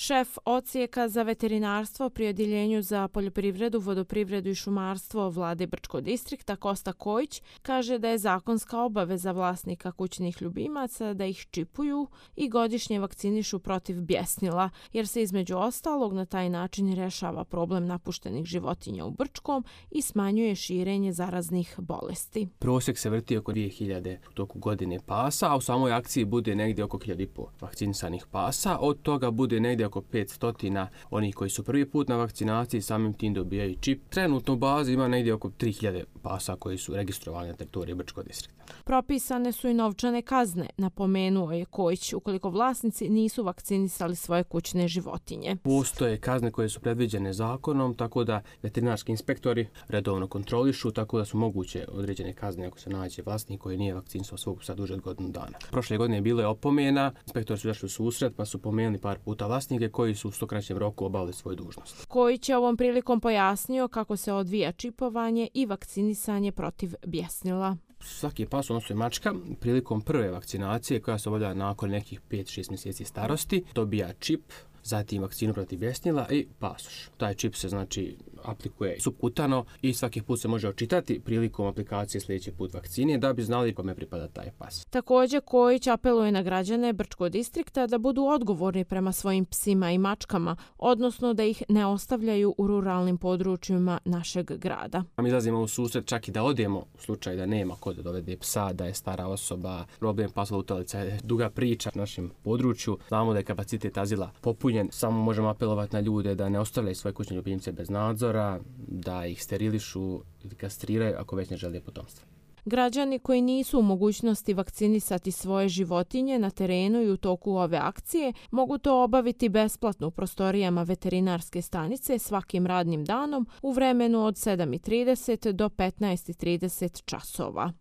Šef odsjeka za veterinarstvo pri Odjeljenju za poljoprivredu, vodoprivredu i šumarstvo Vlade Brčkog distrikta Kosta Kojić kaže da je zakonska obaveza vlasnika kućnih ljubimaca da ih čipuju i godišnje vakcinišu protiv bjesnila, jer se između ostalog na taj način rješava problem napuštenih životinja u Brčkom i smanjuje širenje zaraznih bolesti. Prosjek se vrti oko 2000 u toku godine pasa, a u samoj akciji bude negdje oko 1500 vakcinisanih pasa. Od toga bude negdje oko 500 onih koji su prvi put na vakcinaciji, samim tim dobijaju čip. Trenutno u bazi ima negdje oko 3000 pasa koji su registrovani na teritoriji Brčkog distrikta. Propisane su i novčane kazne, napomenuo je Kojić, ukoliko vlasnici nisu vakcinisali svoje kućne životinje. Postoje kazne koje su predviđene zakonom, tako da veterinarski inspektori redovno kontrolišu, tako da su moguće određene kazne ako se nađe vlasnik koji nije vakcinisao svog psa duže od godinu dana. Prošle godine bilo je opomena, inspektori su došli u susret pa su pomenuli par puta vlasnike koji su u što kraćem roku obavili svoju dužnost. Kojić je ovom prilikom pojasnio kako se odvija čipovanje i vakcinisanje protiv bjesnila. Svaki pas, odnosno i mačka, prilikom prve vakcinacije koja se obavlja nakon nekih 5-6 mjeseci starosti, dobija čip, zatim vakcinu protiv bjesnila i pasoš. Taj čip se aplikuje supkutano i svaki put se može očitati prilikom aplikacije sljedeći put vakcine da bi znali kome pripada taj pas. Također Kojić apeluje na građane Brčkog distrikta da budu odgovorni prema svojim psima i mačkama, odnosno da ih ne ostavljaju u ruralnim područjima našeg grada. Mi izlazimo u susret čak i da odemo u slučaju da nema ko da dovede psa, da je stara osoba, problem pasa lutalica je duga priča u našem području. Znamo da je kapacitet azila popunjen, samo možemo apelovati na ljude da ne ostavljaju svoje kućne ljubimce bez nadzora, da ih sterilišu ili kastriraju ako već ne žele potomstvo. Građani koji nisu u mogućnosti vakcinisati svoje životinje na terenu i u toku ove akcije mogu to obaviti besplatno u prostorijama veterinarske stanice svakim radnim danom u vremenu od 7:30 do 15:30 časova.